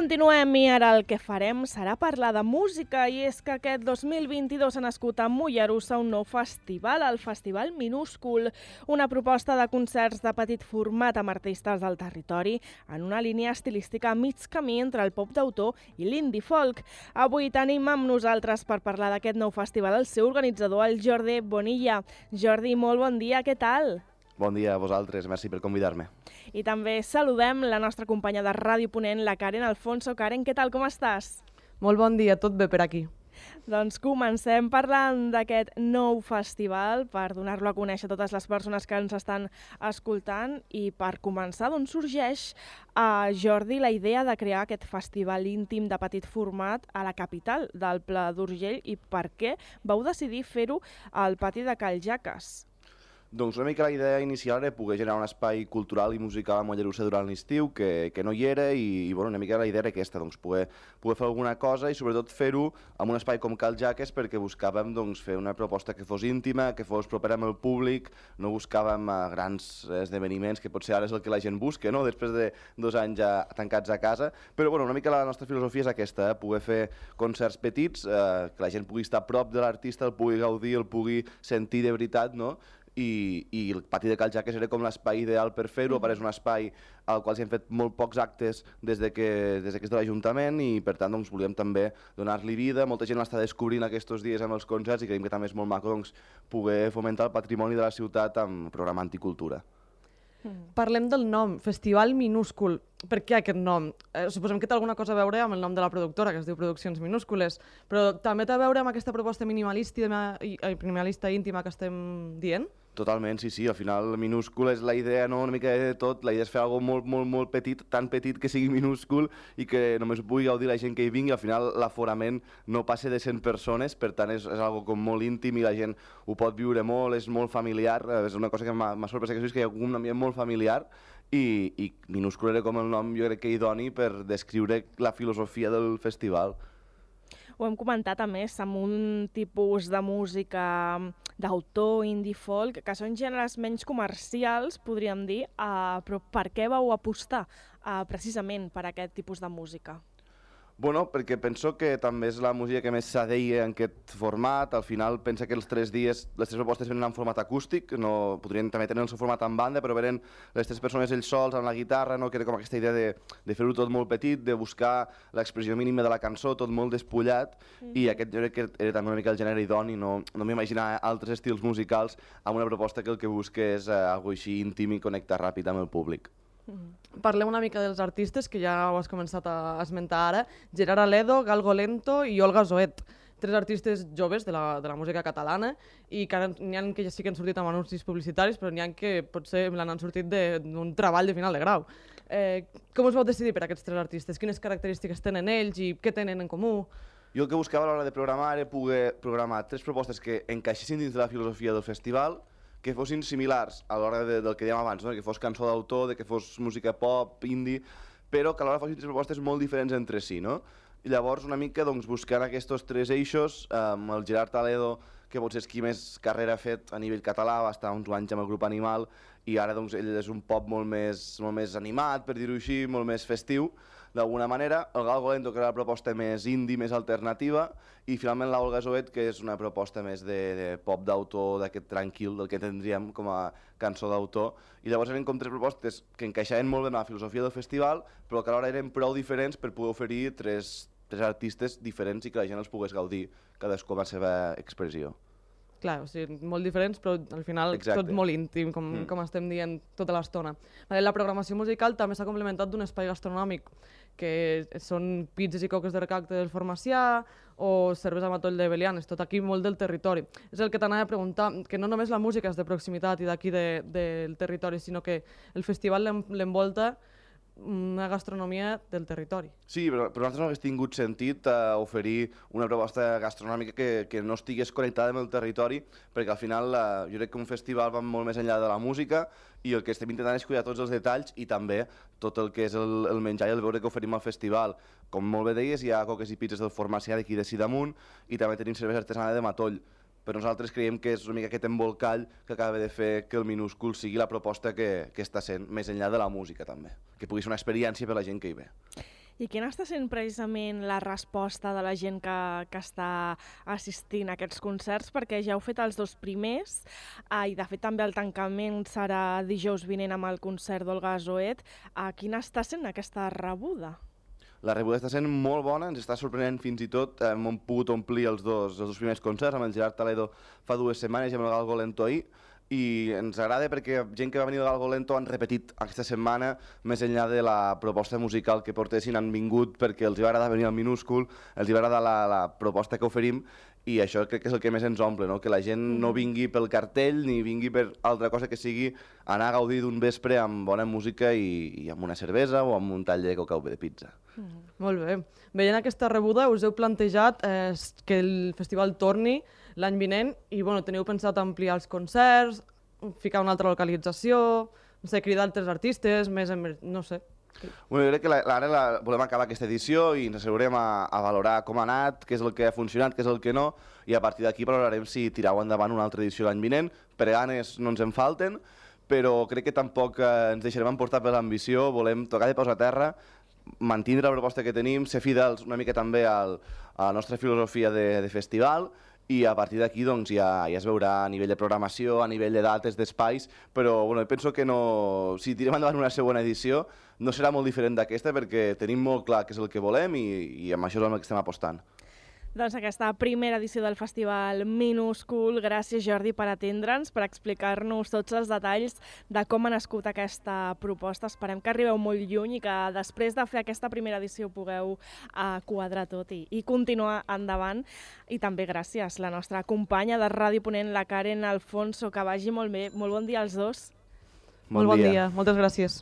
continuem i ara el que farem serà parlar de música i és que aquest 2022 ha nascut a Mollerussa un nou festival, el Festival Minúscul, una proposta de concerts de petit format amb artistes del territori en una línia estilística a mig camí entre el pop d'autor i l'indie folk. Avui tenim amb nosaltres per parlar d'aquest nou festival el seu organitzador, el Jordi Bonilla. Jordi, molt bon dia, què tal? Bon dia a vosaltres, merci per convidar-me. I també saludem la nostra companya de Ràdio Ponent, la Karen Alfonso. Karen, què tal, com estàs? Molt bon dia, tot bé per aquí. Doncs comencem parlant d'aquest nou festival per donar-lo a conèixer a totes les persones que ens estan escoltant i per començar, d'on sorgeix a Jordi la idea de crear aquest festival íntim de petit format a la capital del Pla d'Urgell i per què vau decidir fer-ho al pati de Cal Jaques? Doncs una mica la idea inicial era poder generar un espai cultural i musical a Mollerussa durant l'estiu, que no hi era, i bueno, una mica la idea era aquesta, doncs, poder fer alguna cosa i sobretot fer-ho en un espai com Cal Jaques perquè buscàvem doncs, fer una proposta que fos íntima, que fos propera amb el públic, no buscàvem grans esdeveniments, que potser ara és el que la gent busca, no? Després de 2 anys ja tancats a casa, però bueno, una mica la nostra filosofia és aquesta, poder fer concerts petits, que la gent pugui estar a prop de l'artista, el pugui gaudir, el pugui sentir de veritat, no? I el pati de Cal Jaques era com l'espai ideal per fer-ho, és un espai al qual s'han fet molt pocs actes des que és de l'Ajuntament i per tant doncs, volíem també donar-li vida. Molta gent l'està descobrint aquests dies amb els concerts i creiem que també és molt maco doncs, poder fomentar el patrimoni de la ciutat amb programant i cultura. Parlem del nom, Festival Minúscul. Per què aquest nom? Suposem que té alguna cosa a veure amb el nom de la productora, que es diu Produccions Minúscules, però també té a veure amb aquesta proposta minimalista íntima que estem dient? Totalment, sí. Al final, minúscul és la idea, no? Una mica de tot. La idea és fer alguna cosa molt petit, tan petit que sigui minúscul i que només ho pugui gaudir la gent que hi vingui. Al final, l'aforament no passa de 100 persones, per tant, és algo com molt íntim i la gent ho pot viure molt, és molt familiar. És una cosa que m'ha sorprès que hi ha un ambient molt familiar i minúscul era com el nom, jo crec que idoni per descriure la filosofia del festival. Ho hem comentat, a més, amb un tipus de música d'autor, indie folk, que són gèneres menys comercials, podríem dir, però per què vau apostar precisament per aquest tipus de música? Bueno, perquè penso que també és la música que més s'adeia en aquest format. Al final pensa que els 3 dies, les 3 propostes venen en format acústic, no, podrien també tenir el seu format en banda, però venen les 3 persones ells sols amb la guitarra, no? Que era com aquesta idea de fer-ho tot molt petit, de buscar l'expressió mínima de la cançó, tot molt despullat, i aquest jo crec que era també una mica el gènere idoni, no m'imaginar altres estils musicals amb una proposta que el que busca és algo així íntim i connectar ràpid amb el públic. Parlem una mica dels artistes, que ja ho has començat a esmentar ara. Gerard Aledo, Galgo Lento i Olga Zoet. 3 artistes joves de la música catalana i que n'hi ha que ja sí que han sortit amb anuncis publicitaris, però n'hi ha que potser l'han sortit d'un treball de final de grau. Com us vau decidir per aquests 3 artistes? Quines característiques tenen ells i què tenen en comú? Jo el que buscava a l'hora de programar era poder programar 3 propostes que encaixessin dins de la filosofia del festival, que fossin similars a l'hora del que dèiem abans, no? Que fos cançó d'autor, que fos música pop, indie, però que alhora fossin 3 propostes molt diferents entre si, no? I llavors una mica doncs, buscant aquests 3 eixos, el Gerard Aledo, que potser és qui més carrera ha fet a nivell català, va estar uns anys amb el grup Animal, i ara doncs, ell és un pop molt més animat, per dir-ho així, molt més festiu, d'alguna manera. El Galgo Lento, que era la proposta més indie, més alternativa, i finalment la Olga Zoet, que és una proposta més de pop d'autor, d'aquest tranquil, del que tindríem com a cançó d'autor. I llavors eren com 3 propostes que encaixaven molt bé en la filosofia del festival, però que alhora eren prou diferents per poder oferir 3 artistes diferents i que la gent els pogués gaudir, cadascú amb la seva expressió. Clar, o sigui, molt diferents, però al final tot molt íntim, com estem dient tota l'estona. La programació musical també s'ha complementat d'un espai gastronòmic, que són pizzas i coques de recacte del Formacià o cervesa Matoll de Belianes, tot aquí molt del territori. És el que t'anava a preguntar, que no només la música és de proximitat i d'aquí del territori, sinó que el festival l'envolta una gastronomia del territori. Sí, però nosaltres no hagués tingut sentit oferir una proposta gastronòmica que no estigués connectada amb el territori, perquè al final jo crec que un festival va molt més enllà de la música i el que estem intentant és cuidar tots els detalls i també tot el que és el menjar i el beure que oferim al festival. Com molt bé deies, hi ha coques i pizzas del Formacià d'aquí de Sidamunt i també tenim cervesa artesana de Matoll. Però nosaltres creiem que és una mica aquest embolcall que acaba de fer que el Minúscul sigui la proposta que està sent, més enllà de la música també, que pugui ser una experiència per la gent que hi ve. I quina està sent precisament la resposta de la gent que està assistint a aquests concerts? Perquè ja heu fet els 2 primers i de fet també el tancament serà dijous vinent amb el concert d'Olga Zoet. Quina està sent aquesta rebuda? La rebuda està sent molt bona, ens està sorprenent fins i tot. Hem pogut omplir els dos primers concerts amb el Gerard Toledo fa 2 setmanes i amb el Galgo Lento ahir, i ens agrada perquè gent que va venir del Galgo Lento han repetit aquesta setmana, més enllà de la proposta musical que portessin, han vingut perquè els va agradar venir al Minúscul, els va agradar la proposta que oferim, i això crec que és el que més ens omple, no? Que la gent no vingui pel cartell ni vingui per altra cosa que sigui anar a gaudir d'un vespre amb bona música i amb una cervesa o amb un tall de coca o de pizza. Molt bé. Veient aquesta rebuda, us heu plantejat que el festival torni l'any vinent i teniu pensat ampliar els concerts, ficar una altra localització, no sé, cridar altres artistes, no sé. Jo crec que ara volem acabar aquesta edició i ens asseurem a valorar com ha anat, què és el que ha funcionat, què és el que no, i a partir d'aquí valorarem si tirau endavant una altra edició l'any vinent. Per ganes no ens en falten, però crec que tampoc ens deixarem emportar per l'ambició, volem tocar de peus a terra, mantindre la proposta que tenim, ser fidels una mica també a la nostra filosofia de festival, i a partir d'aquí ja es veurà a nivell de programació, a nivell de dates, d'espais, però penso que si tirem endavant una segona edició no serà molt diferent d'aquesta perquè tenim molt clar què és el que volem i amb això és el que estem apostant. Doncs aquesta primera edició del Festival Minúscul. Gràcies, Jordi, per atendre'ns, per explicar-nos tots els detalls de com ha nascut aquesta proposta. Esperem que arribeu molt lluny i que després de fer aquesta primera edició pugueu quadrar tot i continuar endavant. I també gràcies, la nostra companya de Ràdio Ponent, la Karen Alfonso. Que vagi molt bé. Molt bon dia als dos. Molt bon dia. Moltes gràcies.